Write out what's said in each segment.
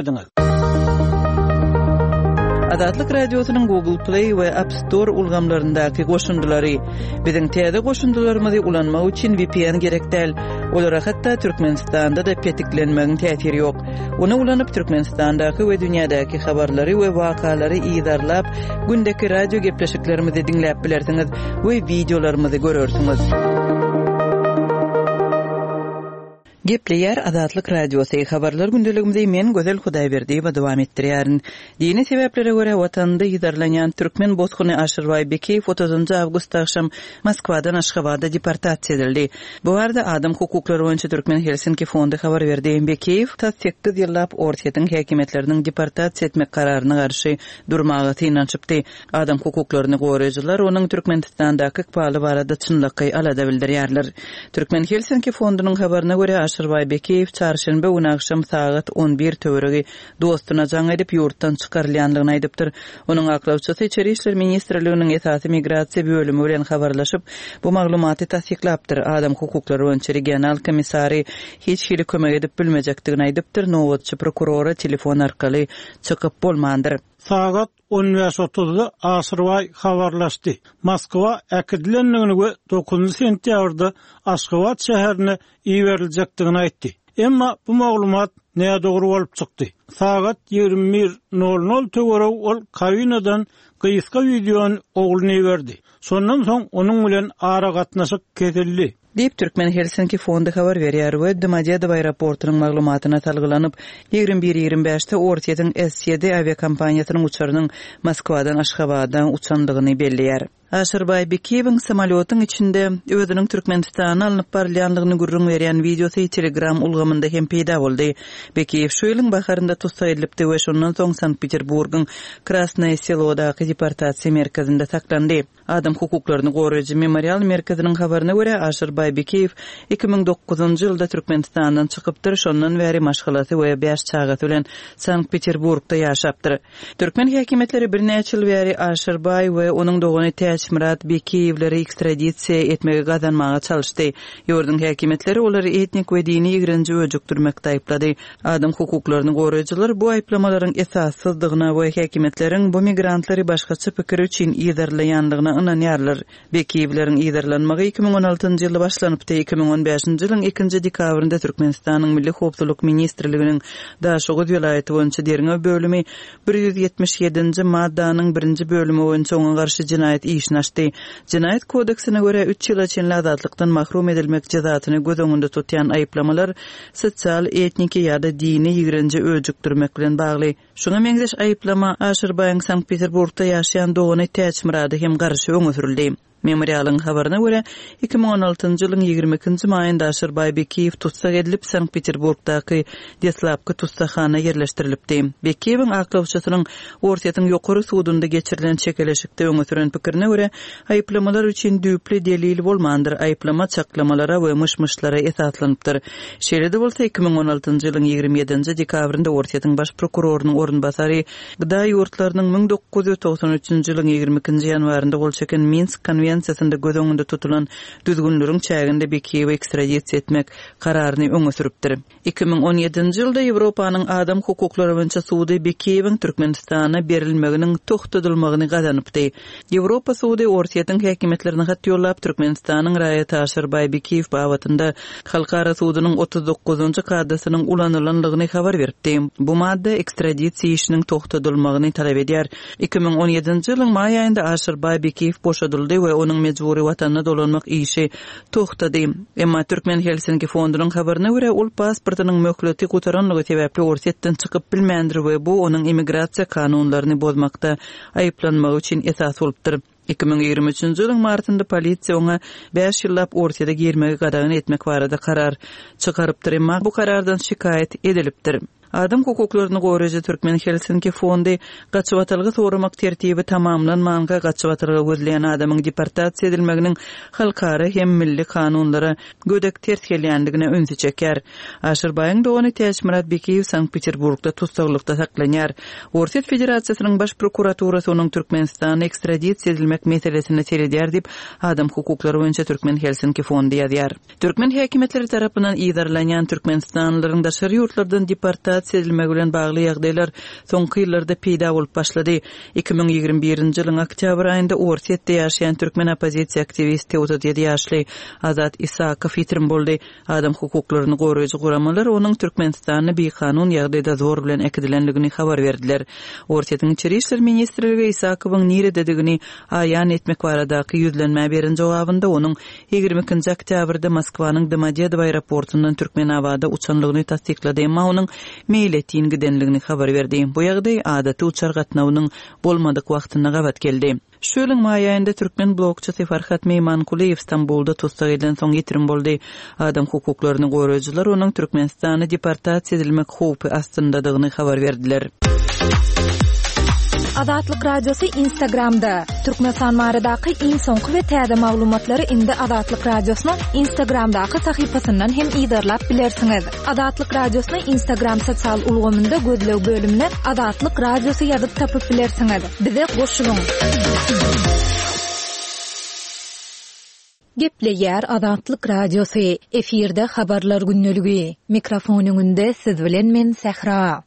diňlediňiz. Azatlyk Radiosynyň Google Play we App Store ulgamlaryndaky goşundylary. Biziň täze goşundylarymyzy ulanmak üçin VPN gerek däl. Olara hatda Türkmenistanda-da petiklenmegiň täsiri ýok. Ony ulanyp Türkmenistandaky we dünýädäki habarlary we wakalary yzarlap, gündeki radio gepleşiklerimizi diňläp bilersiňiz we wideolarymyzy görersiňiz. Gepleýär Azatlyk Radiosy, Habarlar gündeligimizi men Gözel Hudaýberdiýewa dowam etdirýärin. Dini sebäplere görä watanynda yzarlanýan türkmen bosguny Aşyrbaý Bekiýew otuzynjy awgust agşam Moskwadan Aşgabada deportasiýa edildi. Bu barada Adam hukuklary boýunça Türkmen Helsinki fondy habar berdi. Bekiýew tas sekiz ýyllap Orsýetiň häkimiýetleriniň deportasiýa etmek kararyna garşy durmaga synanyşypdy. Adam hukuklaryny goraýjylar onuň Türkmenistandaky ykbaly barada çynlakaý alada bildirýärler. Türkmen Helsinki fondunyň habaryna görä, Aşyrbaý Bekiýew çarşenbe güni agşam sagat on bir töweregi dostuna jaň edip, ýurtdan çykarylýandygyny aýdypdyr. Onuň aklawçysy Içeri işler ministrliginiň esasy migrasiýa bölümi bilen habarlaşyp, bu maglumaty tassyklapdyr, adam hukuklary boýunça regional komissary hiç hili kömek edip bilmejekdigini aýdypdyr, nobatçy prokurora telefon arkaly çykyp bolmandyr. Sagat on bäş otuzda Aşyrbaý habarlaşdy. Moskwa äkidilendigini we dokuzynjy sentýabrda Aşgabat şäherine iberiljekdigini aýtdy. Emma bu maglumat nädogry bolup çykdy. Sagat 21 nol nol töweregi ol kabinadan gysga wideony ogluna iberdi. Şondan soň onuň bilen aragatnaşyk kesildi. Diýip, Türkmen Helsinki fondy habar berýär we Domodedowo aeroportunyň maglumatyna salgylanyp, 21 25-de Orsýetiň S-ýedi awiakompaniýasynyň uçarynyň Moskwadan Aşgabada uçandygyny belleýär. Aşyrbaý Bekiýewiň samolýotyň içinde özüniň Türkmenistana alnyp barylýandygyny gürrüň berýän wideosy Telegram ulgamynda hem peýda boldy. Bekiýew şu ýylyň baharynda tussag edilipdi we şondan soň Sankt-Peterburgyň Krasnoýe Selodaky deportasiýa merkezinde saklandy. Adam hukuklaryny goraýjy Memorial merkeziniň habaryna görä, Aşyrbaý Bekiýew 2009-njy ýylda Türkmenistandan çykypdyr, şondan bäri maşgalasy we bäş çagasy bilen Sankt-Peterburgda ýaşapdyr. Türkmen häkimiýetleri birnäçe ýyl bäri Aşyrbaý we onuň dogany Täçmyrat Bekiýewleri ekstradisiýa etmegi gazanmaga çalyşdy. Ýurduň häkimiýetleri olary etnik we dini ýigrenji öjükdirmekde aýyplady. Adam hukuklaryny goraýjylar bu aýyplamalaryň esassyzdygyna we häkimiýetleriň bu migrantlary başgaça pikiri üçin yzarlaýandygyna ynanýarlar. Bekiýewleriň yzarlanmagy 2016-njy ýylda başlanypdy. 2015-nji ýylyň ikinji dekabrynda Türkmenistanyň Milli howpsuzlyk ministrliginiň Daşoguz welaýaty boýunça derňew bölümi 177-nji maddanyň birinji bölümi boýunça oňa garşy jenaýat işini açdy. Jenaýat kodeksine görä, üç ýyla çenli azatlykdan mahrum edilmek jezasyny göz öňünde tutýan aýyplamalar sosial, etniki ýa-da dini ýigrenji öjükdirmek bilen bagly. Şuňa meňzeş aýyplama Aşyrbaýyň Sankt-Peterburgda ýaşaýan dogany Täçmyrada hem garşy öňe sürüldi. Memorialyň habaryna görä, 2016-njy ýylyň 22-nji maýynda Aşyrbaý Bekiýew tussag edilip, Sankt-Peterburgdaky deslapky tussaghana ýerleşdirilipdi. Bekiýewiň aklawçysynyň Orsýetiň Ýokary sudunda geçirilen çekeleşikde öňe süren pikirine görä, aýyplamalar üçin düýpli delil bolmandyr, aýyplama çaklamalara we myş-myşlara esaslanypdyr. Şeýle-de bolsa, 2016-njy ýylyň 27-nji dekabrynda Orsýetiň baş prokurorynyň orunbasary GDA ýurtlarynyň 1993-nji ýylyň 22-nji ýanwarynda gol çeken Minsk konwensiýasynda göz öňünde tutulan düzgünleriň çäginde Bekiýewi ekstradisiýa etmek kararyny öňe sürüpdir. 2017-nji ýylda Ýewropanyň Adam hukuklary boýunça sudy Bekiýewiň Türkmenistana berilmeginiň togtadylmagyny gazanypdy. Ýewropa sudy Orsýetiň häkimiýetlerine hat ýollap, Türkmenistanyň raýaty Aşyrbaý Bekiýew babatynda Halkara sudunyň 39-njy kadasynyň ulanylandygyny habar beripdi. Bu madda ekstradisiýa işiniň togtadylmagyny talap edýär. 2017-nji ýylyň maý aýynda Aşyrbaý Bekiýew boşadyldy we onuň mejbury watanyna dolanmak işi togtady. Emma Türkmen Helsinki fondunyň habaryna görä, ol pasportynyň möhleti gutaranlygy sebäpli Orsýetden çykyp bilmändir we bu onuň immigrasiýa kanunlaryny bozmakda aýyplanmagy üçin esas bolupdyr. 2023-nji ýylyň martynda polisiýa oňa bäş ýyllap Orsýete girmegi gadagan etmek barada karar çykarypdyr, emma bu karardan şikaýat edilipdir. Adam hukuklaryny goraýjy Türkmen Helsinki fondy gaçybatalga soramak tertibi tamamlanmanka gaçybatalga gözleýän adamyň deportasiýa edilmeginiň halkara hem milli kanunlara gödek ters gelýändigine ünsi çekýär. Aşyrbaýyň dogany Täçmyrat Bekiýew Sankt-Peterburgda tussaglykda saklanýar. Orsýet Federasiýasynyň Baş prokuraturasy onuň Türkmenistana ekstradisiýa edilmek meselesine seredýär diýip, Adam hukuklary boýunça Türkmen Helsinki fondy ýazýar. Türkmen häkimiýetleri tarapyndan yzarlanýan türkmenistanlylaryň daşary ýurtlardan deportasiýa. deportasiýa edilmegi bilen bagly ýagdaýlar soňky ýyllarda peýda bolup başlady. 2021-nji ýylyň oktýabr aýynda Orsýetde ýaşaýan türkmen oppozisiýa aktiwisti 37 ýaşly Azat Isakow ýitirim boldy. Adam hukuklaryny goraýjy guramalar onuň Türkmenistana bikanun ýagdaýda zor bilen äkidilendigini habar berdiler. Orsýetiň Içeri işler ministrligi Isakowyň nirededigini aýan etmek baradaky ýüzlenmä beren jogabynda onuň 22-nji oktýabrda Moskwanyň Domodedowo aeroportundan Türkmenabada uçanlygyny tassyklady, emma onuň meýletin gidenligini habar berdi. Bu ýagdaý adaty uçar gatnawynyň bolmadyk wagtyna gabat geldi. Şu ýylyň maý aýynda türkmen blogçysy Farhat Meýmankulyýew Stambulda tussag edilensoň ýitirim boldy. Adam hukuklaryny goraýjylar onuň Türkmenistana deportasiýa edilmek howpy astyndadygyny habar berdiler. Azatlyk Radiosy Instagramda, Türkmenistan baradaky iň soňky we täze maglumatlary indi Azatlyk Radiosynyň Instagramdaky sahypasyndan hem yzarlap bilersiňiz. Azatlyk Radiosyny Instagram sosial ulgamynda gözleg bölümine Azatlyk Radiosy ýazyp tapyp bilersiňiz. Bize goşulyň! Gepleýär Azatlyk Radiosy, efirde Habarlar gündeligi. Mikrofon öňünde siz bilen men Sähra.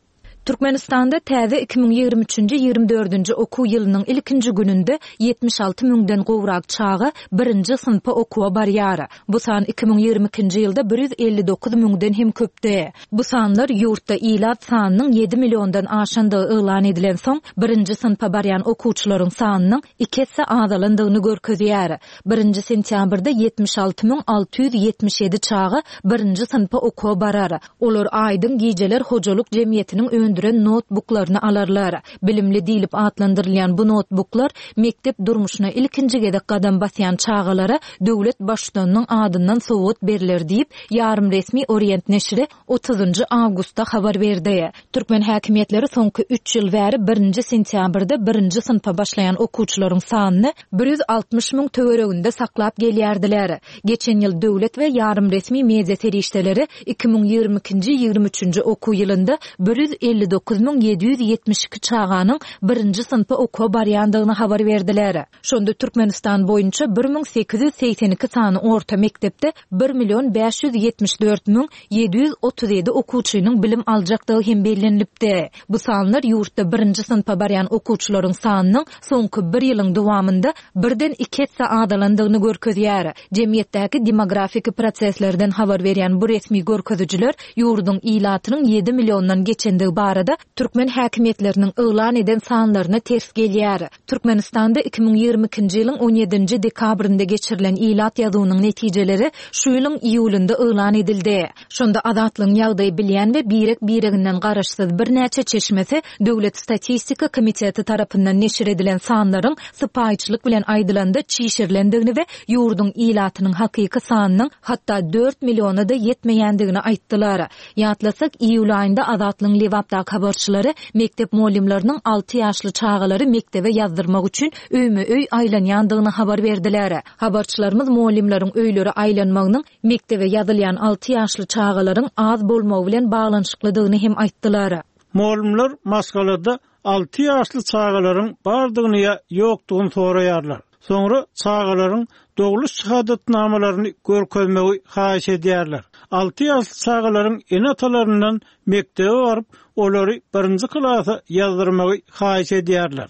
Türkmenistanda täze 2023 nji 24 nji okuw ýylynyň ilkinji gününde 76 müňden gowrak çaga birinji synpa okuwa barýar. Bu san 2022 nji ýylda 159 müňden hem köpdi. Bu sanlar ýurtda ilat sanynyň ýedi milliondan aşandygy yglan edilensoň, birinji synpa barýan okuwçylaryň sanynyň iki esse azalandygyny görkezýär. Birinji sentýabrda 76 677 çaga birinji synpa okuwa barar. Olar Aýdyň gijeler hojalyk jemgyýetiniň öndüren noutbuklaryny alarlar. Bilimli diýlip atlandyrylýan bu noutbuklar mekdep durmuşyna ilkinji gezek gadam basýan çagalara döwlet Baştutanynyň adyndan sowgat berler diýip, ýarym resmi Orient neşiri otuzynjy awgustda habar berdi. Türkmen häkimiýetleri soňky üç ýyl bäri birinji sentýabrda birinji synpa başlaýan okuwçylaryň sanyny 160 müň töwereginde saklap gelýärdiler. Geçen ýyl döwlet we ýarym resmi media serişdeleri 2022-nji, 23-nji okuw ýylynda 159 772 çaganyň birinji synpa okuwa barýandygyny habar berdiler. Şonda Türkmenistan boýunça 1882 sany orta mekdepde bir million 574 müň 737 okuwçynyň bilim aljakdygy hem bellenilipdi. Bu sanlar ýurtda birinji synpa barýan okuwçylaryň sanynyň soňky bir ýylyň dowamynda birden iki esse azalandygyny görkezýär. Jemgyýetdäki demografiki proseslerden habar berýän bu resmi görkezijiler ýurduň ilatynyň ýedi milliondan geçendigi barada türkmen häkimiýetleriniň yglan eden sanlaryna ters gelýär. Türkmenistanda 2022-nji ýylyň on ýedinji dekabrynda geçirilen ilat ýazuwynyň netijeleri şu ýylyň iýulynda yglan edildi. Şonda Azatlygyň ýagdaýy bilýän we birek-bireginden garaşsyz birnäçe çeşmesi Döwlet statistika komiteti tarapyndan neşir edilen sanlaryň sypaýyçylyk bilen aýdylanda çişirilendigini we ýurduň ilatynyň hakyky sanynyň hatda dört milliona-da ýetmeýändigini aýtdylar. Ýatlasak, iýul aýynda Azatlygyň Lebapdaky habarçylary mekdep mugallymlarynyň alty ýaşly çagalary mekdebe ýazdyrmak üçin öýme-öý aýlanýandygyny habar berdiler. Habarçylarymyz mugallymlaryň öýlere aýlanmagynyň mekdebe ýazylýan alty ýaşly çagalaryň az bolmagy bilen baglanyşyklydygyny hem aýtdylar. Mugallymlar maşgalada alty ýaşly çagalaryň bardygyny ýa ýokdugyny soraýarlar. Soňra çagalaryň dogluş şahadatnamalaryny görkezmegi haýyş edýärler. Alty ýaşly çagalaryň ene-atalaryndan mekdebe baryp, olary birinji klasa ýazdyrmagy haýyş edýärler.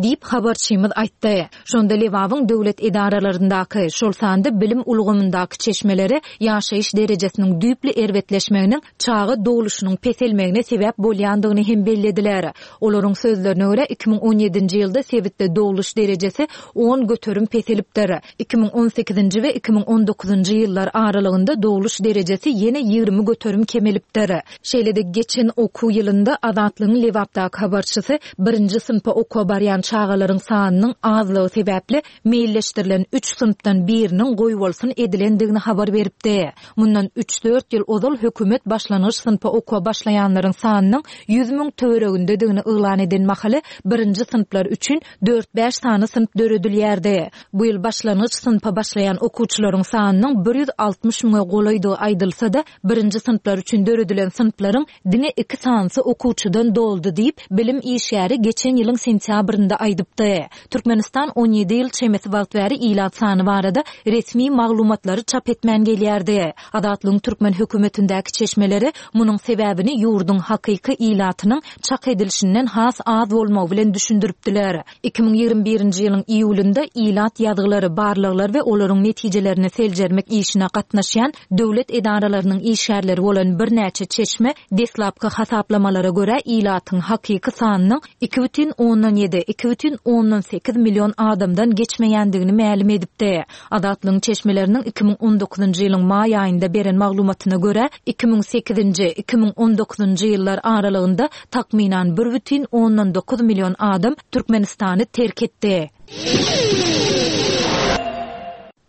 Diýip, habarçymyz aýtdy. Şonda Lebabyň döwlet edaralaryndaky, şol sanda bilim ulgamyndaky çeşmeleri ýaşaýyş derejesiniň düýpli erbetleşmeginiň çaga dogluşynyň peselmegine sebäp bolýandygyny hem bellediler. Olaryň sözlerine görä, 2017-nji ýylda sebitde dogluş derejesi 10% peselipdir. 2018-nji we 2019-njy ýyllar aralygynda dogluş derejesi ýene 20% kemelipdir. Şeýle-de geçen okuw ýylynda Azatlygyň Lebapdaky habarçysy birinji synpa okuwa barýan çagalaryň sanynyň azlygy sebäpli meýilleşdirilen üç synpdan biriniň goýbolsun edilendigini habar beripdi. Mundan üç-dört ýyl ozal hökümet başlangyç synpa okuwa başlaýanlaryň sanynyň 100 müň töweregindedigini yglan eden mahaly birinji synplar üçin dört-bäş sany synp döredilýärdi. Bu ýyl başlangyç synp. synpa başlaýan okuwçylaryň sanynyň 160 müňe golaýdygy aýdylsa-da, birinji synplar üçin döredilen synplaryň diňe iki sanysy okuwçydan doldy diýip, bilim işgäri geçen ýylyň sentýabrynda aýdypdy. Türkmenistan 17 ýyl çemesi wagt bäri ilat sany barada resmi maglumatlary çap etmän gelýärdi. Azatlygyň türkmen hökümetindäki çeşmeleri munuň sebäbini ýurduň hakyky ilatynyň çak edilişinden has az bolmagy bilen düşündiripdiler. 2021-nji ýylyň iýulynda ilat ýazgylary, barlaglar we olaryň netijelerini seljermek işine gatnaşýan döwlet edaralarynyň işgärleri bolan birnäçe çeşme deslapky hasaplamalara görä ilatyň hakyky sanynyň 2,7, 2,8 million adamdan geçmeýändigini mälim edipdi. Azatlygyň çeşmeleriniň 2019-njy ýylyň maý aýynda beren maglumatyna görä, 2008-nji, 2019-njy ýyllar aralygynda takmynan 1,9 million adam Türkmenistany terk etdi.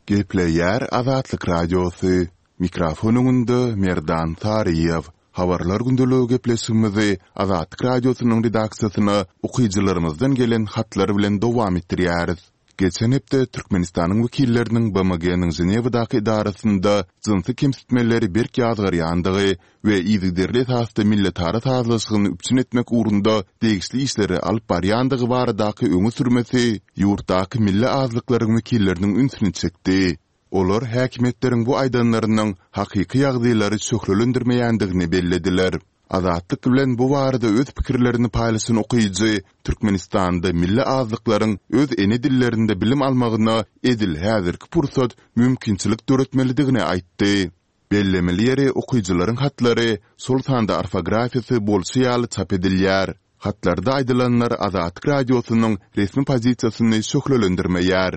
Gepleýär Azatlyk Radiosy, Mikrofon öňünde Merdan Saryýew. Habarlar gündeligi gepleşigimizi Azatlyk Radiosynyň redaksiýasyna okyjylarymyzdan gelen hatlar bilen dowam etdirýäris. Geçen hepde Türkmenistanyň wekilleriniň BMG-niň Ženewadaky edarasynda jynsy kemsitmeleri berk ýazgarýandygy we yzygiderli esasda milletara sazlaşygyny üpjün etmek ugrunda degişli işleri alyp barýandygy baradaky öňe sürmesi ýurtdaky milli azlyklaryň wekilleriniň ünsüni çekdi. Olar häkimiýetleriň bu aýdanlarynyň hakyky ýagdaýlary şöhlelendirmeýändigini bellediler. Azatlyk bilen bu barada öz pikirlerini paýlaşan okyjy Türkmenistanda milli azlyklaryň öz ene dillerinde bilim almagyna edil häzirki pursat mümkinçilik döretmelidigini aýtdy. Bellemeli ýeri, okyjylaryň hatlary, şol sanda orfografiýasy bolşy ýaly çap edilýär. Hatlarda aýdylanlar Azatlyk Radiosynyň resmi pozisiýasyny şöhlelendirmeýär.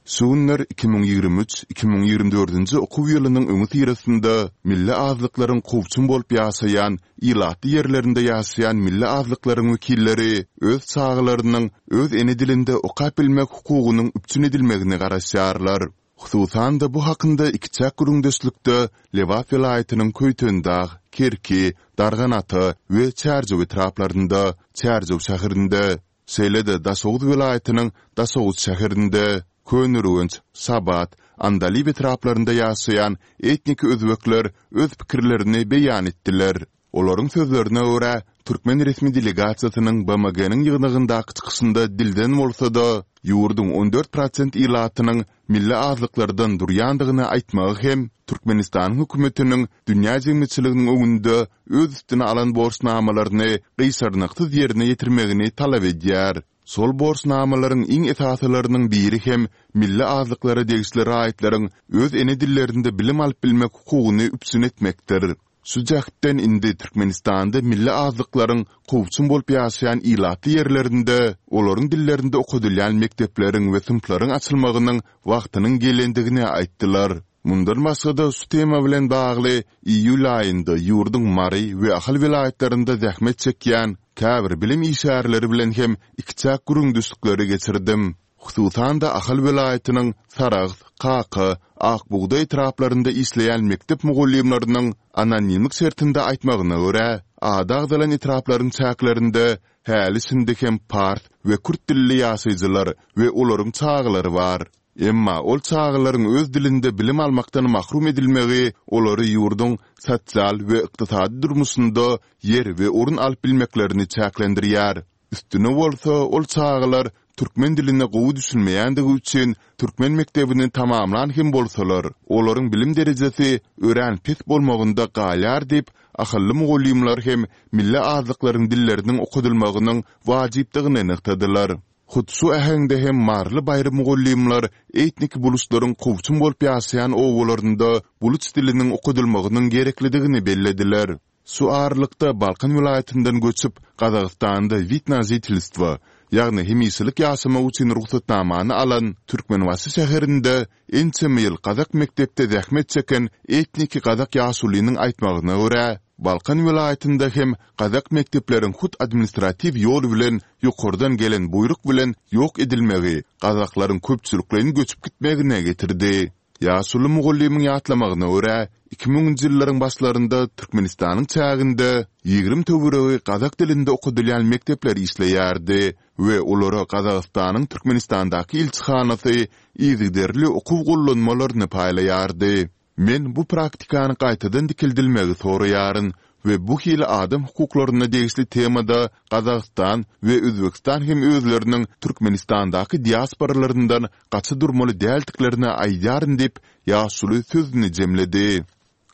Şu günler 2023, 2024-nji okuw ýylynyň öňüsyrasynda milli azlyklaryň kowçum bolup ýaşaýan ilatly ýerlerinde ýaşaýan milli azlyklaryň wekilleri öz çagalarynyň öz ene dilinde okap bilmek hukugynyň üpjün edilmegine garaşýarlar. Hususan-da, bu hakynda ikiçäk gürrüňdeşlikde Lebap welaýatynyň Köýtendag, Kerki, Darganata we Çärjew etraplarynda, Çärjew şäherinde, şeýle-de Daşoguz welaýatynyň Daşoguz şäherinde, Köneürgenç, Şabat, Andalyp etraplarynda ýaşaýan etniki özbekler öz pikirlerini beýan etdiler. Olaryň sözlerine görä, türkmen resmi delegasiýasynyň BMG-niň ýygnagyndaky çykyşynda dilden bolsa-da, ýurduň 14 prosent ilatynyň milli azlyklardan durýandygyny aýtmagy hem Türkmenistanyň hökümetiniň dünýä jemgyýetçiliginiň öňünde öz üstüne alan borçnamalaryny gyşarnyksyz ýerine ýetirmegini talap edýär. Şol borçnamalaryň iň esasylarynyň biri hem milli azlyklara degişli raýatlaryň öz ene dillerinde bilim alyp bilmek hukugyny üpjün etmekdir. Şu jähtden indi Türkmenistanda milli azlyklaryň kowçum bolup ýaşaýan ilatly ýerlerinde olaryň dillerinde okadylýan mekdepleriň we synplaryň açylmagynyň wagtynyň gelendigini aýtdylar. Mundan başga-da şu tema bilen bagly iýul aýynda ýurduň Mary we Ahal welaýatlarynda zähmet çekýän käbir bilim işgärleri bilen hem ikiçäk gürrüňdeşlikleri geçirdim. Hususan-da, Ahal welaýatynyň Sarahs, Kaka, Ak bugdaý etraplarynda işleýän mekdep mugallymlarynyň anonimlik şertinde aýtmagyna görä, ady agzalan etraplaryň çäklerinde häli-şindi hem pars we kürt dilli ýaşaýjylar we olaryň çagalary bar. Emma ol çagalaryň öz dilinde bilim almakdan mahrum edilmegi olary ýurduň sosial we ykdysady durmuşynda ýer we orun alyp bilmeklerini çäklendirýär. Üstüne bolsa, ol çagalar türkmen diline gowy düşünmeýändigi üçin türkmen mekdebini tamamlan hem bolsalar, olaryň bilim derejesi örän pes bolmagynda galýar diýip, ahally mugallymlar hem milli azlyklaryň dilleriniň okadylmagynyň wajypdygyny nygtadylar. Hut şu äheňde hem maryly baýry mugallymlar etnik buluçlaryň kowçum bolup ýaşaýan obalarynda buluç diliniň okadylmagynyň gereklidigini bellediler. Şu aralykda Balkan welaýatyndan göçüp, Gazagystanda wid na žitelstwo, ýagny hemişelik ýaşamak üçin rugsatnamany alan, Türkmenbaşy şäherinde ençeme ýyl gazak mekdepde zähmet çeken etniki gazak ýaşulynyň aýtmagyna görä, Balkan welaýatynda hem gazak mekdepleriň hut administratiw ýol bilen ýokardan gelen buýruk bilen ýok edilmegi gazaklaryň köpçülikleýin göçüp gitmegine getirdi. Ýaşuly mugallymyň ýatlamagyna görä, iki müňünji ýyllaryň başlarynda Türkmenistanyň çäginde 20 töweregi gazak dilinde okadylýan mekdepler işleýärdi we olara Gazagystanyň Türkmenistandaky ilçihanasy yzygiderli okuw gollanmalaryny paýlaýardy. Men bu praktikany gaýtadan dikeldilmegi soraýaryn we bu hili adam hukuklaryna degişli temada Gazagystan we Özbegistan hem özleriniň Türkmenistandaky diasporalaryndan gaça durmaly däldiklerini aýdýaryn diýip, ýaşuly sözüni jemledi.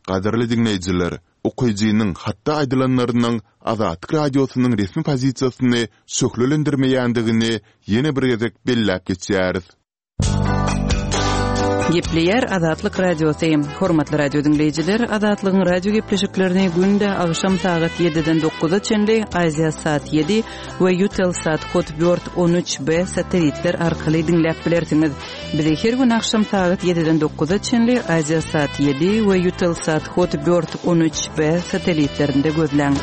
Gadyrly diňleýjiler, okyjynyň hatda aýdylanlarynyň Azatlyk Radiosynyň resmi pozisiýasyny şöhlelendirmeýändigini ýene bir gezek belläp geçýäris. Gepleýär Azatlyk Radiosy. Hormatly radio diňleýjiler, Azatlygyň radio gepleşiklerini günde agşam sagat 7-den 9-a çenli Aziasat 7 we Eutelsat Hotbird 13B satellitler arkaly diňläp bilersiňiz. Bizi her gün agşam sagat 7-den 9-a çenli Aziasat 7 we Eutelsat Hotbird 13B satellitlerinde gözläň.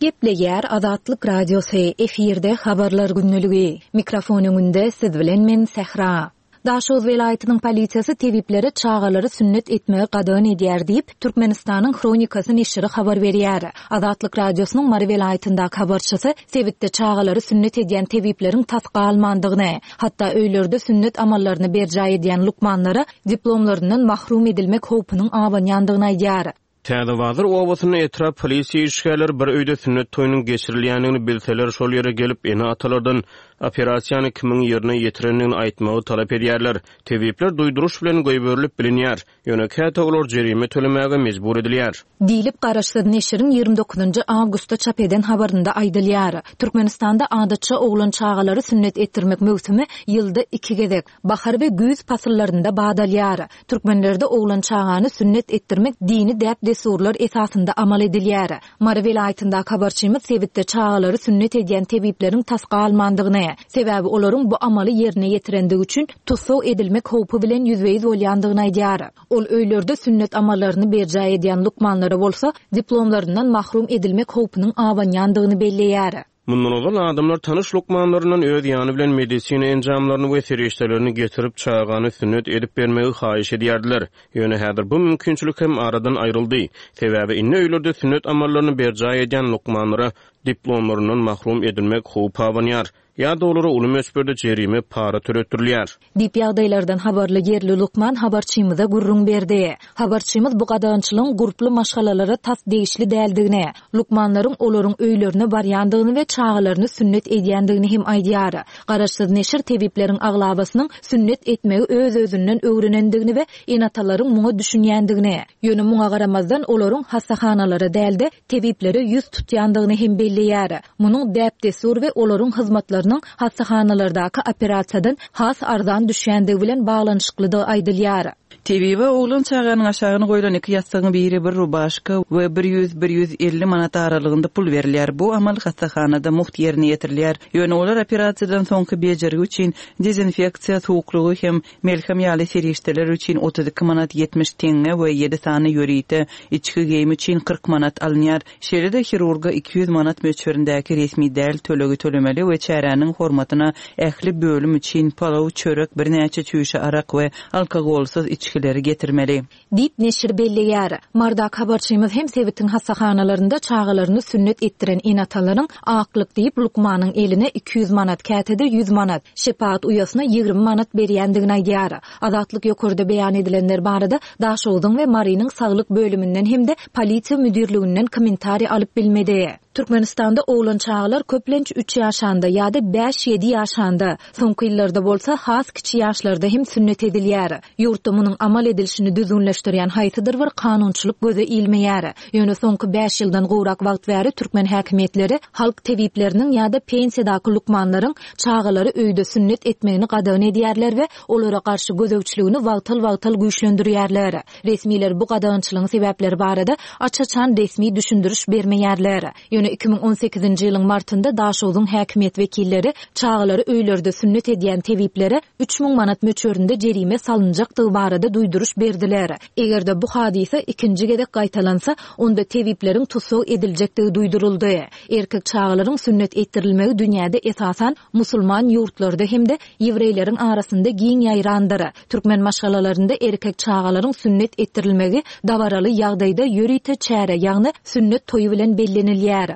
Gepleýär Azatlyk Radiosy, efirde Habarlar gündeligi. Mikrofon öňünde siz bilen men Sähra. Daşoguz welaýatynyň polisiýasy tebiplere çagalary sünnet etmegi gadagan edýär diýip, Türkmenistanyň Hronikasy neşiri habar berýär. Azatlyk Radiosynyň Mary welaýatyndaky habarçysy sebitde çagalary sünnet edýän tebipleriň tas galmandygyny, hatda öýlerde sünnet amallaryny berjaý edýän lukmanlara diplomlaryndan mahrum edilmek howpunyň abanýandygyny aýdýar. Täzebazar obasynda etrap polisiýa işgärleri bir öýde sünnet toýunyň geçirilýändigini bilseler, şol ýere gelip, ene-atalardan operasiýany kimiň ýerine ýetirendigini aýtmagy talap edýärler. Tebipler duýduryş bilen goýberilip bilinýär, ýöne käte olar jerime tölemäge mejbur edilýär. Diýlip, garaşsyz neşiriň 29 njy awgustda çap eden habarynda aýdylýar. Türkmenistanda adatça oglan çagalary sünnet etdirmek möwsümi ýylda iki gezek, bahar we güýz pasyllarynda bat alýar. Türkmenlerde oglan çagany sünnet etdirmek dini däp-dessurlar esasynda amal edilýär. Mary welaýatyndaky habarçymyz sebitde çagalary sünnet edýän tebipleriň tas galmandygyny, sebäbi olaryň bu amaly ýerine ýetirendigi üçin tussag edilmek howpy bilen ýüzbe-ýüz bolýandygyny aýdýar. Ol öýlerde sünnet amallaryny berjaý edýän lukmanlara bolsa diplomlaryndan mahrum edilmek howpunyň abanýandygyny belleýär. Mundan ozal adamlar tanyş lukmanlaryndan öz ýany bilen medisina enjamlaryny we serişdelerini getirip, çagany sünnet edip bermegi haýyş edýärdiler. Ýöne häzir bu mümkinçilik hem aradan aýryldy. Sebäbi indi öýlerde sünnet amallaryny berjaý edýän lukmanlara diplomlaryndan mahrum edilmek howpy abanýar ýa-da olara uly möçberde jerime para töletdirilýär. Diýip, ýagdaýlardan habarly ýerli lukman habarçymyza gürrüň berdi. Habarçymyz bu gadagançylygyň gurply maşgalalara tas degişli däldigini, lukmanlaryň olaryň öýlerine barýandygyny we çagalaryny sünnet edýändigini hem aýdýar. Garaşsyz neşir tebipleriň aglabasynyň sünnet etmegi öz-özünden öwrenendigini we ene-atalaryň muňa düşünýändigini, ýöne muňa garamazdan olaryň hassahanalara däl-de, tebiplere ýüz tutýandygyny hem belleýär. Munuň däp-dessur we olaryň hyzmatlarynyň hassahanalardaky operasiýadan has arzan düşýändigi bilen baglanyşyklydygy aýdylýar. Tebibe oglan çaganyň aşagyna goýlan iki ýassygyň biri bir rubaşka we bir ýüz-bir 150 manat aralygynda pul berilýär. Bu amal hassahanada mugt ýerine ýetirilýär. Ýöne olar operasiýadan soňky bejergi üçin dezinfeksiýa suwuklygy hem Melhem ýaly serişdeler üçin 32 manat 70 teňňe we ýedi sany ýörite içki geýim üçin 40 manat alynýar. Şeýle-de hirurga 200 manat möçberindäki resmi däl tölegi tölemeli we çäräniň hormatyna ähli bölüm üçin palaw, çörek, birnäçe çüýşe arak we alkogolsyz içgileri getirmeli. Diýip, neşir belleýär. Mardak habarçymyz hem sebitiň hassahanalarynda çagalaryny sünnet etdiren ene-atalaryň aklyk diýip, lukmanyň eline 200 manat, käte-de 100 manat, şepagat uýasyna 20 manat berýändigini aýdýar. Azatlyk ýokarda beýan edilenler barada Daşogzuň we Marynyň saglyk bölüminden hem-de polisiýa müdirliginden kommentariý alyp bilmedi. Türkmenistanda oglan çagalar köplenç üç ýaşanda ýa-da bäş-ýedi ýaşanda, soňky ýyllarda bolsa has kiçi ýaşlarda hem sünnet edilýär. Ýurtda munuň amal edilişini düzgünleşdirýän haýsydyr bir kanunçylyk göze ilmeýär. Ýöne soňky bäş ýyldan gowrak wagt bäri türkmen häkimiýetleri halk tebipleriniň ýa-da pensiýadaky lukmanlaryň çagalary öýde sünnet etmegini gadagan edýärler we olara garşy gözegçiligini wagtal-wagtal güýçlendirýärler. Resmiler bu gadagançylygyň sebäpleri barada aç-açan resmi düşündiriş bermeýärler. Ýöne. Ýöne 2018-nji ýylyň martynda Daşogzuň häkimiýet wekilleri çagalary öýlerde sünnet edýän tebiplere 3000 manat möçberinde jerime salynjakdygy barada duýduryş berdiler. Eger-de bu hadysa ikinji gezek gaýtalansa, onda tebipleriň tussag ediljekdigi duýduryldy. Erkek çagalaryň sünnet etdirilmegi dünýäde esasan musulman ýurtlarda hem-de ýewreýleriň arasynda giň ýaýrandyr. Türkmen maşgalalarynda erkek çagalaryň sünnet etdirilmegi dabaraly ýagdaýda ýörite çäre, ýagny sünnet toýy bilen bellenilýär.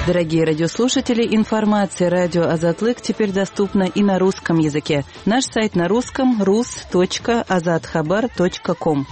Дорогие радиослушатели, информация радио Азатлык теперь доступна и на русском языке. Наш сайт на русском rus.azathabar.com.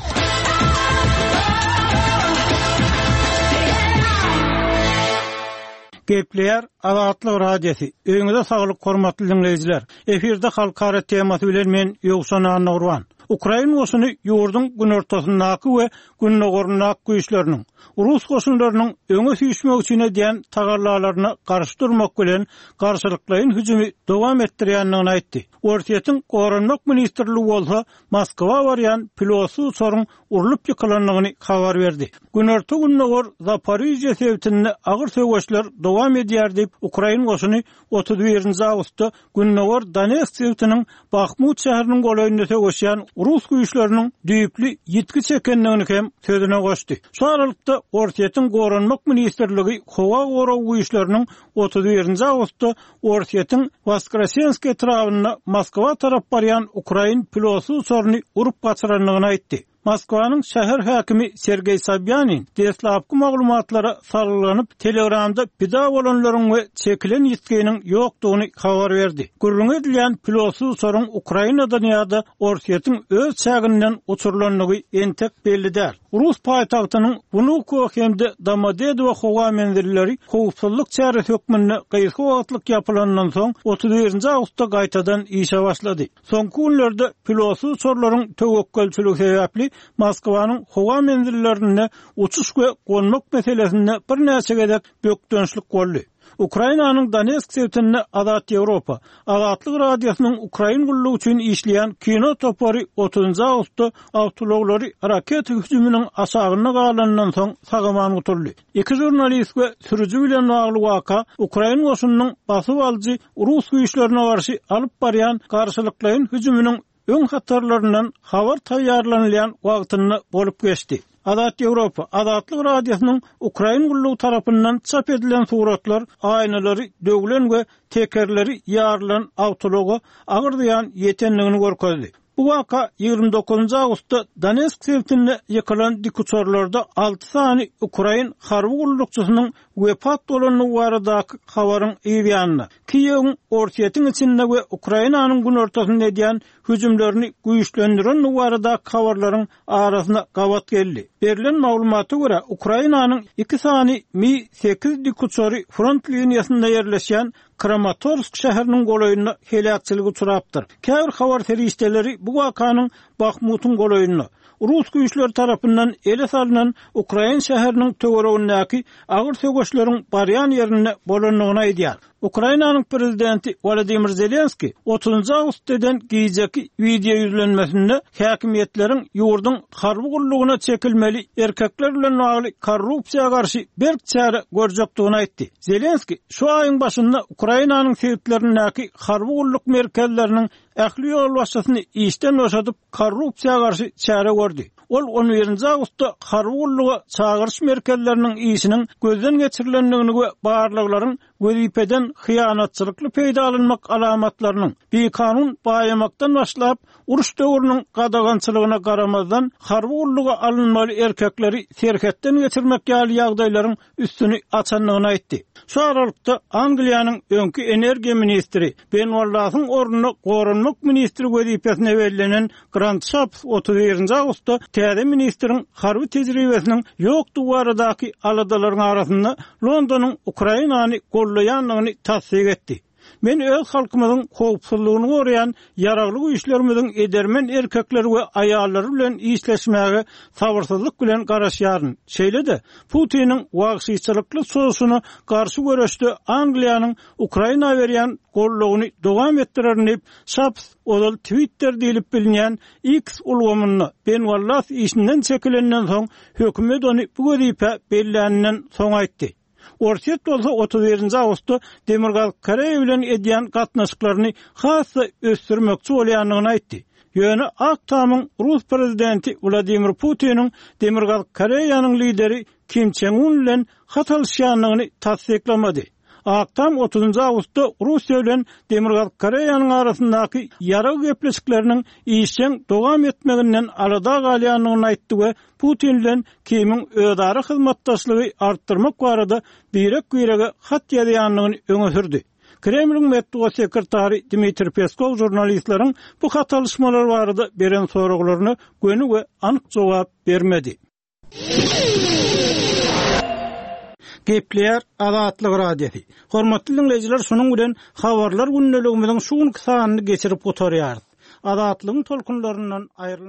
Gepleýär Azatlyk Radiosy. Öýüňize saglyk hormatly diňleýjiler. Efirde halkara temasy bilen men Ýowşan Annagurban. Ukrain goşuny ýurduň günortasyndaky we gündogaryndaky güýçleriniň, rus goşunlarynyň öňe süýşmek üçin edýän tagallalaryna garşy durmak bilen garşylyklaýyn hüjümi dowam etdirýändigini aýtdy. Orsýetiň Goranmak ministrligi bolsa Moskwa barýan pilotsyz uçaryň urlup ýykylandygyny habar berdi. Günorta-gündogar Zaporižýa sebitinde agyr söweşler dowam edýär diýip, ukrain goşuny 31-nji awgustda Gündogar Donetsk sebitiniň Bahmut şäheriniň golaýynda söweşýän rus güýçleriniň düýpli ýitgi çekendigini hem sözüne goşdy. Şu aralykda, Orsýetiň Goranmak ministrligi howa goragy güýçleriniň 31-nji awgustda Orsýetiň Woskresensk etrabynda Moskwa tarap barýan ukrain pilotsyz uçaryny urup gaçyrandygyny aýtdy. Moskwanyň şäher häkimi Sergeý Sobýanin deslapky maglumatlara salgylanyp, Telegramda pida bolanlaryň we çekilen ýitginiň ýokdugyny habar berdi. Gürrüňi edilýän pilotsyz uçaryň Ukrainadan ýa-da Orsýetiň öz çäginden uçurylandygy entek belli däl. Rus paýtagtynyň Wnukowo hem-de Domodedowo howa menzilleri howpsuzlyk çäresi hökmünde gysga wagtlyk ýapylandan soň, 31-nji awgustda gaýtadan işe başlady. Soňky günlerde pilotsyz uçarlaryň töwekgelçiligi sebäpli Moskwanyň howa menzillerinde uçuş we gonmak meselesinde birnäçe gezek bökdençlik boldy. Ukrainanyň Donetsk sebitinde Azat Ýewropa, Azatlyk Radiosynyň Ukrain gullugy üçin işleýän kino topary otuzynjy awgustda awtoulaglary raketa hüjüminiň aşagynda galanyndan soň sag-aman gutuldy. Iki žurnalist we sürüji bilen bagly waka ukrain goşunynyň basyp alyjy rus güýçlerine garşy alyp barýan garşylyklaýyn hüjüminiň öň hatarlaryndan habar taýýarlanylýan wagtynda bolup geçdi. Azat Ýewropa, Azatlyk Radiosynyň Ukrain gullugy tarapyndan çap edilen suratlar aýnalary döwlen we tekerleri ýarylan awtoulaga agyr zyýan ýetendigini görkezdi. Bu waka 29 awgustda Donetsk sebitinde ýykylan dikuçarlarda alty sany ukrain harby gullukçysynyň wepat bolandygy baradaky habaryň yz ýanynda, Kiýewiň Orsýetiň içinde we Ukrainanyň günortasynda edýän hüjümlerini güýçlendirendigi baradaky habarlaryň arasyna gabat geldi. Berlen maglumata görä, Ukrainanyň iki sany Mi sekiz dikuçary front liniýasynda ýerleşýän Kramatorsk şäheriniň golaýynda heläkçilige uçrapdyr. Käbir habar serişdeleri bu wakanyň Bahmutyň golaýynda, rus güýçleri tarapyndan ele salnan ukrain şäheriniň töweregindäki agyr söweşleriň barýan ýerinde bolandygyny aýdýar. Ukrainanyň prezidenti Wolodymyr Zelenskiý otuzynjy awgustda eden gijeki wideoýüzlenmesinde häkimiýetleriň ýurduň harby gullugyna çekilmeli erkekler bilen bagly korrupsiýa garşy berk çäre görjekdigini aýtdy. Zelenskiý şu aýyň başynda Ukrainanyň sebitlerindäki harby gulluk merkezleriniň ähli ýolbaşçysyny işden boşadyp, korrupsiýa garşy çäre gördi. Ol on birinji awgustda harby gulluga çagyryş merkezleriniň işiniň gözden geçirilendigini we barlaglaryň wezipeden hyýanatçylykly peýdalanmak alamatlarynyň, bikanun baýamakdan başlap, uruş döwrüniň gadagançylygyna garamazdan, harby gulluga alynmaly erkekleri serhetden geçirmek ýaly ýagdaýlaryň üstüni açandygyny aýtdy. Şu aralykda, Angliýanyň öňki energiýa ministri Ben Wallasyň ornuna goranmak ministri wezipesine bellenen Grant Şapps 31-nji awgustda täze ministriň harby tejribesiniň ýokdugy baradaky aladalaryň arasynda Londonyň Ukrainany goldaýandygyny tassyk etdi. Men öz halkymyzyň howpsuzlygyny goraýan Ýaragly Güýçlerimiziň edermen erkekleri we aýallary bilen işleşmäge sabyrsyzlyk bilen garaşýaryn. Şeýle-de, Putiniň wagşyçylykly çozuşyna garşy göreşde Angliýanyň Ukraina berýän goldawyny dowam etdirerin diýip, Şaps ozal Twitter diýlip bilinýän X ulgamynda Ben Wallas işinden çekilenden soň, hökümet ony bu wezipä belläninden soň aýtdy. Orsýet bolsa 31-nji awgustda Demirgazyk Koreýa bilen edýän gatnaşyklaryny has-da ösdürmekçi bolýandygyny aýtdy. Ýöne Ak Tamyň rus prezidenti Wladimir Putiniň Demirgazyk Koreýanyň lideri Kim Çen Un bilen hat alyşýandygyny tassyklamady. Ak Tam otuzynjy awgustda Russiýa bilen Demirgazyk Koreýanyň arasyndaky ýarag gepleşikleriniň işjeň dowam etmeginden alada galýandygyny aýtdy we Putin bilen Kimiň özara hyzmatdaşlygy artdyrmak barada birek-birege hat ýazýandygyny öňe sürdi. Kremliň metbugat sekretary Dmitriý Peskow žurnalistleriň bu hat alyşmalar barada beren soraglaryna göni we anyk jogap bermedi. Gepleýär Azatlyk Radiosy. Hormatly diňleýjiler, şunuň bilen Habarlar gündeligimiziň şu günki sanyny geçirip gutarýarys. Azatlygyň tolkunlaryndan aýrylmaň.